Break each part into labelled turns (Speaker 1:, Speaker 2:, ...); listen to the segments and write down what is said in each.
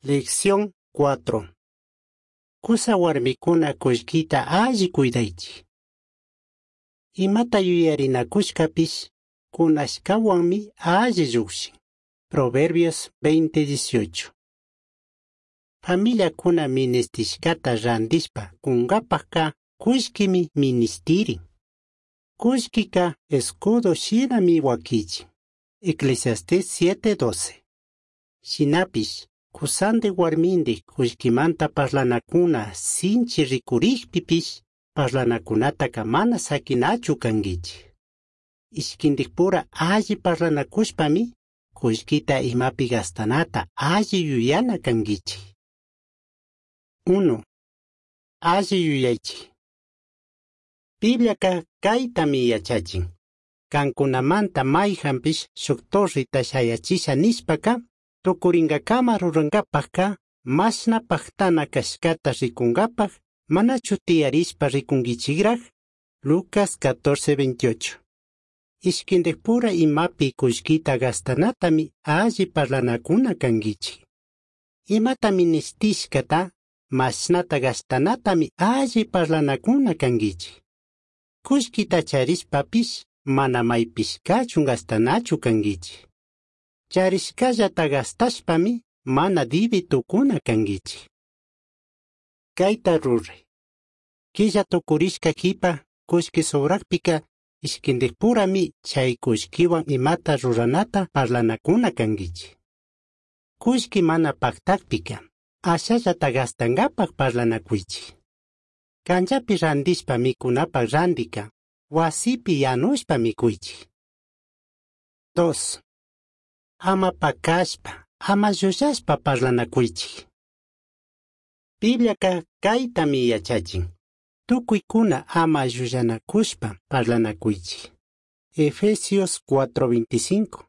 Speaker 1: Lección 4. Cusa huarmicuna cullquita alli cuidaichik. Imata yuyarinakushkapish kunashkawanmi alli llukshin. Proverbios 20:18. Familiakuna ministishkata randishpa kunkapakka kullkimi ministirin. Kullkika escudo shinami wakichin. Eclesiastés 7:12. Shinapish kusandi warmindi kullkimanta parlanakuna sinchi rikurikpipish parlanakunataka mana sakinachu kankichik. Ishkindikpura alli parlanakushpami kullkita imapi gastanata alli yuyana kankichik. 1. Alli yuyaychik. Bibliaka kaytami yachachin. Kankunamanta mayhanpish shuk torreta shayachisha nishpaka tukuringakama rurankapakka mashna paktana kashkata rikunkapak manachu tiyarishpa rikunkichikraq. Lucas 14:28. Ishkindikpura imapi kullkita gastanatami alli parlanakuna kankichik. Imata ministishkata mashnata gastanatami alli parlanakuna kankichik. Kullkita charishpapish mana maypishkachun gastanachu kankichik. Charishkallata gastashpami mana dibi tukuna kankichik. Kayta ruray. Killa tukurishka kipa kullki sobrakpika ishkindikpurami chay kullkiwan imata ruranata parlanakuna kankichik. Kullki mana paktakpika ashallata gastankapak parlanakuychik. Kanchapi randishpa mikunapak randika wasipi yanushpa mikuychik. 2. Ama pakashpa, ama llullashpa parlanakuychik. Bibliaka kaytami yachachin. Tukuykuna ama llullanakushpa parlanakuychik. Efesios 4:25.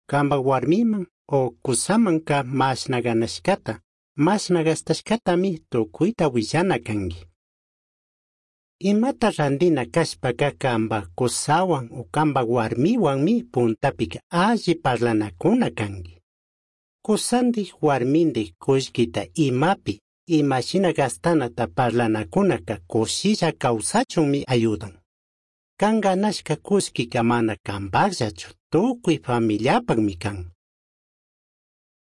Speaker 1: Kanpak warmiman o kusamanka mashna ganashkata, mashna gastashkatami tukuyta willana kanki. Imata randina kashpaka kanpak kusawan o kanpak warmiwanmi puntapika alli parlanakuna kanki. Kusandik warmindik kullkita imapi imashina gastanata parlanakunaka kushilla kawsachunmi ayudan. Kan ganashka kullkika mana kanpakllachu tukuy familiapakmi kan.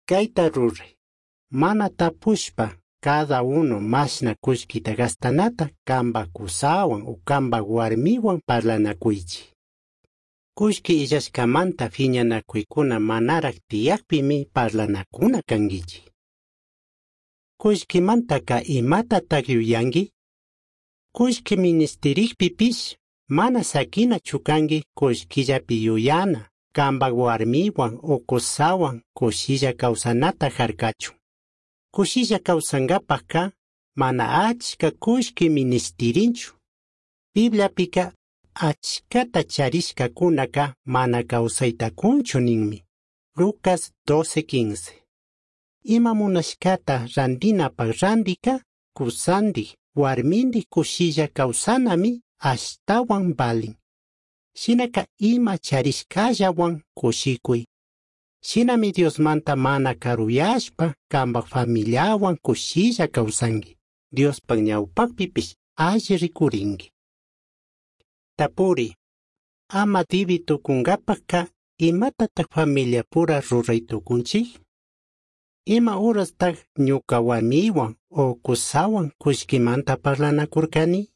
Speaker 1: Kayta ruray. Mana tapushpa cada uno mashna kullkita gastanata kanpak kusawan o kanpak warmiwan parlanakuychik. Kullki illashkamanta phiñanakuykuna manarak tiyakpimi parlanakuna kankichik. Kullkimantaka imatatak yuyanki? Kullki ministirikpipish mana sakinachu kanki kullkillapi yuyana, kanpak warmiwan o kusawan kushilla kawsanata harkachun. Kushilla kawsankapakka mana achka kullki ministirinchu. Bibliapika achkata charishkakunaka mana kawsaytakunchu ninmi. Lucas 12:15. Ima munashkata randinapak randika kusandik warmindik kushilla kawsanami ashtawan valin. Shinaka ima charishkallawan kushikuy. Shinami Diosmanta mana karuyashpa kanpak familiawan kushilla kawsanki. Diospak ñawpakpipish alli rikurinki. Tapuri. Ama dibi tukunkapakka imatatak familiapura ruray tukunchik? Ima horastak ñuka warmiwan o kusawan kullkimanta parlanakurkani?